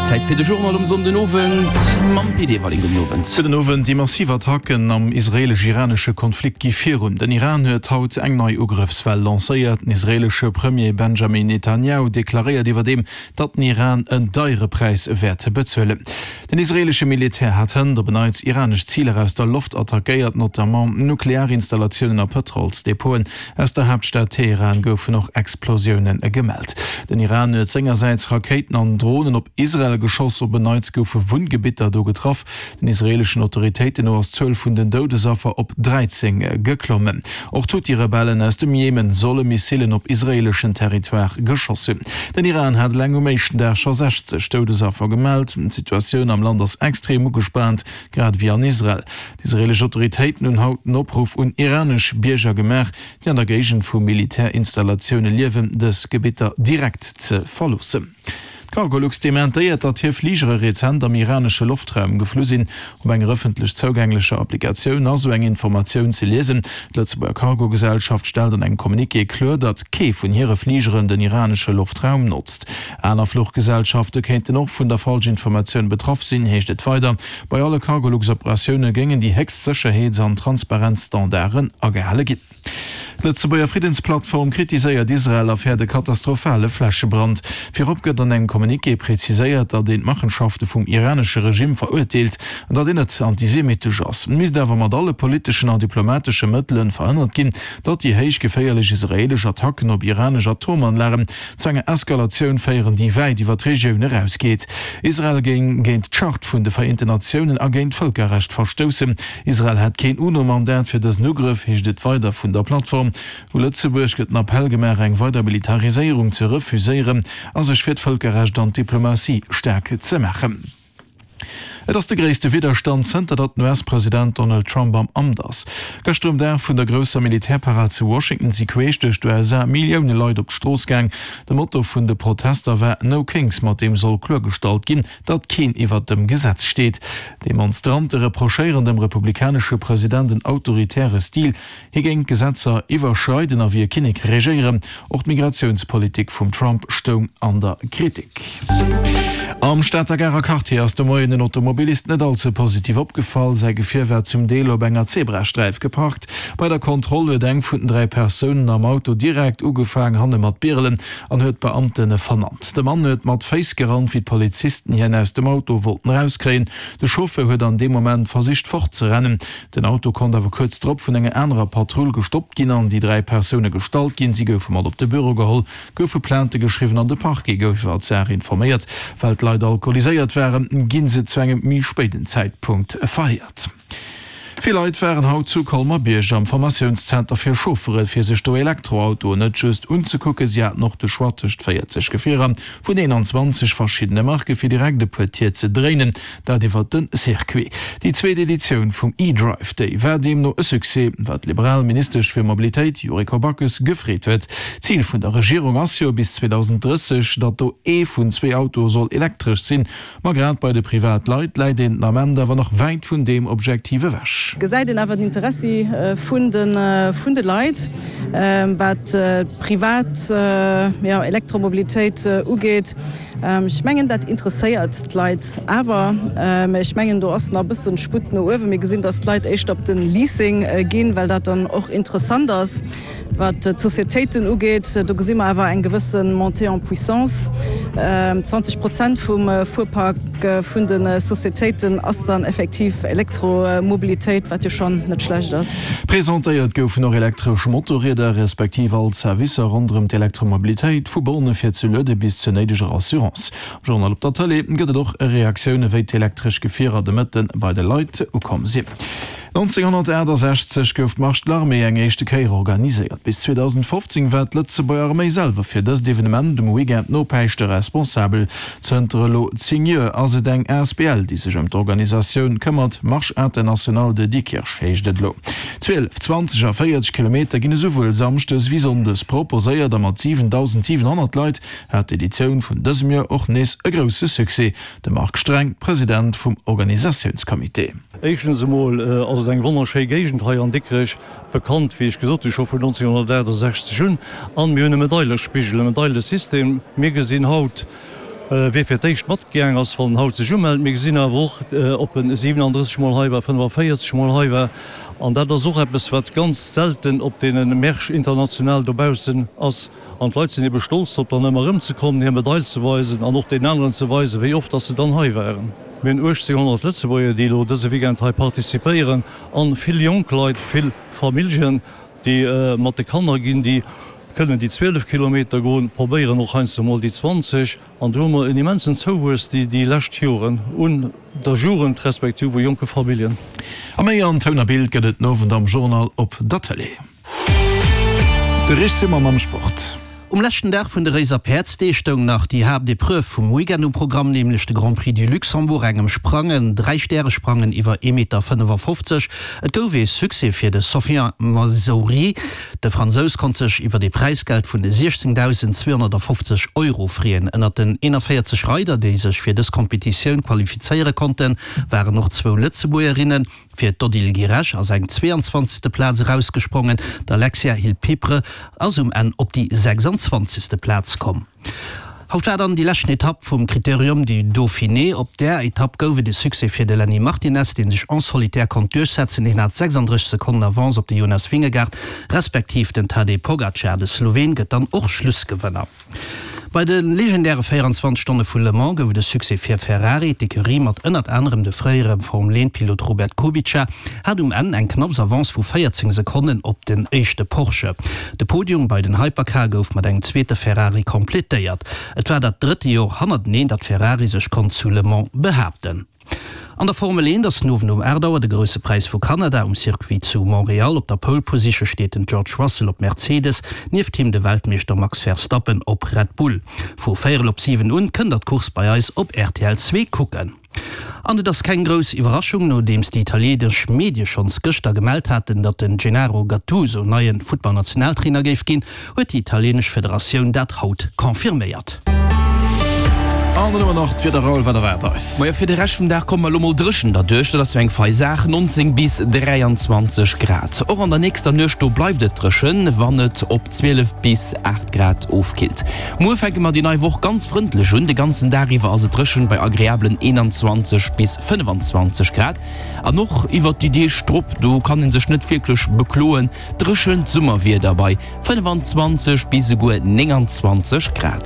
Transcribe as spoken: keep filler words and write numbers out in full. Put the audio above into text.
Zäit fir de Journal um Sonndenowend mam Pit Everling. Gudden Owend. Gudden Owend. Déi massiv Attacken am israeelesch-iranesche Konflikt gi virun. Den Iran huet haut eng nei Ugrëffswell lancéiert. Den israeelesche Premier Benjamin Netanjahu deklaréiert iwwerdeem, datt den Iran en deiere Präis wäert bezuelen. Den israeelesche Militär hat hënt op en Neits iranesch Ziler aus der Loft attackéiert, notamment Nuklearinstallatiounen a Pëtrolsdepoten. Aus der Haaptstad Teheran goufen och Explosioune gemellt. Den Iran huet sengersäits Rakéiten an Dronen op Israel geschoss. Op en Neits goufe Wunngebitter do getraff. Den israeeleschen Autoritéiten no ass d'Zuel vun den Doudesaffer op dräizéng geklommen. Och d'Huthi-Rebellen aus dem Jemen solle Missilen op israeeleschen Territoire geschoss hunn. Den Iran hat eleng um éischten Dag scho sechzeg Doudesaffer gemellt. D'Situatioun am Land ass extrem ugespaant, grad ewéi an Israel. D'israeelesch Autoritéiten hunn haut en Opruff un iranesch Bierger gemaach, déi an der Géigend vu Militärinstallatioune liewen, dës Gebitter direkt ze verloossen. D'Cargolux dementéiert, datt hir Fligere rezent am iranesche Loftraum geflu sinn. Op enger ëffentlech zougänglecher Applikatioun ass esou eng Informatioun ze liesen. D'Lëtzebuerger Cargo-Gesellschaft stellt an engem Communiqué kloer, datt kee vun hire Fligeren den iranesche Loftraum notzt. Aner Fluchgesellschafte kéinten och vun der Falschinformatioun betraff sinn, heescht et weider. Bei alle Cargolux-Operatioune géingen déi héchst Sécherheets an Transparenzstandarden agehale ginn. D'Lëtzebuerger Friddensplattform kritiséiert Israel a fäert e katastrophale Flächebrand. Virop gëtt an engem Communiqué preziséiert, datt een d'Machenschafte vum iranesche Regimm verurteelt an datt een net antisemittesch ass. Et misst awer mat alle politeschen an diplomatesche Mëttele verhënnert ginn, datt déi héich geféierlech israeelesch Attacken op iranesch Atomanlagen zu enger Eskalatioun féieren, déi wäit iwwer d'Regioun erausgeet. Israel géing géint d'Charte vun de Vereenten Natiounen a géint d'Vëlkerrecht verstoussen. Israel hätt keen UNO-Mandat fir dësen Ugrëff, heescht et weider vun der Plattform. U Lëtzebuerg gëtt den Appell gemaach, eng weider Militariséierung ze refuséieren a sech fir d'Vëlkerrecht an d'Diplomatie staark ze maachen. Et ass de gréisste Widderstand, zënter datt den U S-President Donald Trump am Amt ass. Gëschter um Dag vun der grousser Militärparad zu Washington si queesch duerch d'U S A Millioune Leit op d'Strooss gaang. De Motto vun de Protester war No Kings, mat deem soll kloergestallt ginn, datt keen iwwert dem Gesetz steet. D'Demonstrante reprochéieren dem republikanesche President en autoritäre Stil. Hie géing d'Gesetzer iwwerschreiden a wéi e Kinnek regéieren. Och d'Migratiounspolitik vum Trump stoung an der Kritik. Am Stater Garer Quartier ass de Moien en Automobilist net all ze positiv opgefall. Säi Gefier war zum Deel op enger Zebrasträif geparkt. Bei der Kontroll huet eng vun den dräi Persounen am Auto direkt ugefaang hanne mat birelen an huet d'Beamte vernannt. De Mann huet mat Féiss gerannt, wéi d'Polizisten hien aus dem Auto wollten erauskréien. De Chauffeur huet an deem Moment versicht fortzerennen. Den Auto konnt awer kuerz drop vun enger anerer Patrull gestoppt ginn an déi dräi Persoune gestallt ginn. Si goufe mat op de Büro geholl, goufe Plainte geschriwwen an de Parquet gouf iwwer d'Saach informéiert. Well d'Leit alkoholiséiert waren, gi se zu engem méi spéiden Zäitpunkt verhéiert. Vill Leit waren haut zu Colmer-Bierg am Formatiounszenter fir Chauffere fir sech do Elektroautoen net just unzekucken, si haten och de Choix tëscht véierzeg Gefierer vun eenanzwanzeg verschiddene Marke fir direkt e puer Tier ze dréinen, dat iwwert de Circuit. Déi zweet Editioun vum eDrive Day war deemno e Succès, wat d'liberal Ministesch fir Mobilitéit Yuriko Backes gefreet huet. Zil vun der Regierung ass jo bis zweedausendrësseg, datt do ee vun zwee Autoe soll elektresch sinn. Ma grad bei de Privatleit läit een den Ament awer nach wäit vun deem Objektiv ewech. Gesäit een awer den Interessi vun de Leit, wat d'privat Elektromobilitéit ugeet. Ech mengen, dat interesséiert d'Leit awer. Mä ech mengen, do ass nach e bësse Sputt no uewen. Mir gesinn, datt d'Leit éischter op de Leasing ginn, well dat dann och interessant ass. Wat d'Societéiten ugeet, do gesi mer awer eng gewësse Montée en puissance. zwanzeg Prozent vum Fuerpark vun de Societéiten ass dann effektiv Elektromobilitéit, wat jo schonn net schlecht ass. Presentéiert goufen och elektresch Motorrieder, respektiv all d'Servicer ronderëm d'Elektromobilitéit, vu Borne fir ze luede bis zur néideger Assurance. Am Journal op der Tëlee gëtt et och Reaktioune wéi d'elektresch Gefierer de Mëtte bei de Leit ukomm sinn. nonzénghonnertaachtasechzeg gouf d'Marche de l'armée eng éischte Kéier organiséiert. Bis zweedausendfofzéng war d'Lëtzebuerger Arméi selwer fir dëst Evenement um Weekend no Päischte responsabel. Zënter elo zéng Joer ass et eng asbl, déi sech ëm d'Organisatioun këmmert. Marche Internationale de Diekirch heescht et elo. Zwielef, zwanzeg a véierzeg Kilometer ginn esouwuel samschdes wéi sonndes proposéiert a mat siwendausendsiwenhonnert Leit hat d'Editioun vun dësem Joer och nees e grousse Succès. De Marc Streng, President vum Organisatiounscomité. Éischtens emol ass et eng wonnerschéi Géigend hei an Dikrech, bekannt, wéi ech gesot hu scho vun nonzénghonnertaachtasechzeg un. An mir hunn e Medailespigel, e Medailesystem. Mir gesinn haut Wie fir d'éischt matgaang ass, wann en haut sech umellt. Mir gesinn awer och, ob en siwenandrësseg Mol hei war, fënnefaféierzeg Mol hei war. An dat ass och eppes, wat ganz selten op deene Märsch international dobaussen ass. An d'Leit sinn ebe stolz drop, dann ëmmer erëmzekommen, hir Medail ze weisen an och deenen aneren ze weisen, wéi oft dass se dann hei waren. Mir hunn uechtzénghonnert Lëtzebuerger, déi elo dëse Weekend hei participéieren, an vill jonk Leit, vill Familljen, déi mat de Kanner ginn, déi kënnen déi zwielef Kilometer goen, probéieren och heiansdo mol déi zwanzeg. An do hu mer en immensen Zouwuess déi déi lescht Joren un der Jugend respektiv u jonke Familljen. A méi an Toun a Bild gëtt et den Owend am Journal op der Tëlee. De Rich Simon mam Sport. Um leschten Dag vun de Réiser Päerdsdeeg stoung nach déi Haaptepreuve vum Weekend um Programm, nämlech de Grand Prix du Luxembourg, engem Sprangen, Dräi-Stäre-Sprangen iwwer ee Meter fënnefafofzeg. Et gouf ee Succès fir de Sofiane Mazouri. De Fransous konnt sech iwwer ee Präisgeld vun siechzéngdausend zweehonnertafofzeg Euro freeën. Ënnert den eenanvéierzeg Reider, déi sech fir dës Kompetitioun qualifizéiere konnten, waren och zwou Lëtzebuergerinnen. Fir d'Odile Guiresch ass eng zweeanzwanzegste Plaz erausgesprongen, d'Alexia Hilpibre ass um Enn op déi sechsanzwanzegste Plaz komm. Haut war dann déi leschten Etapp vum Critérium du Dauphiné. Op där Etapp gouf et e Succès fir de Lenny Martinez, dee sech en solitaire konnt duerchsetzen. Hien hat sechsanddrësseg Sekonnen Avance op de Jonas Vingegaard respektiv den Tadej Pogacar. De Sloween gëtt dann och Schlussgewënner. Bei de legendäre véierundzwanzeg Stonne vu Le Mans gouf et e Succès fir Ferrari. D'Ecurie mat ënnert anerem de fréiere Formel-een-Pilot Robert Kubica hat um Enn eng knapps Avance vu véierzéng Sekonnen op den éischte Porsche. De Podium bei den Hypercar gouf mat engem zweete Ferrari kompletéiert. Et war dat drëtte Joer hannerteneen, datt Ferrari sech konnt zu Le Mans behaapten. An der Formel eent ass den Owend um aacht Auer de Grousse Präis vu Kanada um Circuit zu Montréal. Op der Pole Position steet den George Russell op Mercedes, nieft him de Weltmeeschter Max Verstappen op Red Bull. Vu véierel op siwen un kënnt der d'Course bei eis op rtl zwee kucken. An et ass keng grouss Iwwerraschung, nodeems déi italienesch Medie schonns gëschter gemellt haten, datt den Gennaro Gattuso neie Futtballnationaltrainer géif ginn, huet déi italienesch Federatioun dat haut confirméiert. An dann hu mer nach d'Wieder, Raoul, wat erwaart eis? Majo, fir de Rescht vum Dag komme mer elo mol dréchen derduerch, dat ass jo eng fei Saach, neunzéng bis dräianzwanzeg Grad. Och an der nächster Nuecht, do bleift et dréchen, wann et op zwielef bis aacht Grad ofkillt. Muer fänke mer déi nei Woch ganz frëndlech un, de ganzen Dag iwwer ass et dréchen bei agreablen eenanzwanzeg bis fënnefanzwanzeg Grad. An och iwwert déi Deeg drop, do kann ee sech net wierklech bekloen, dréchent Summerwieder bei fënnefanzwanzeg bis esouguer nénganzwanzeg Grad.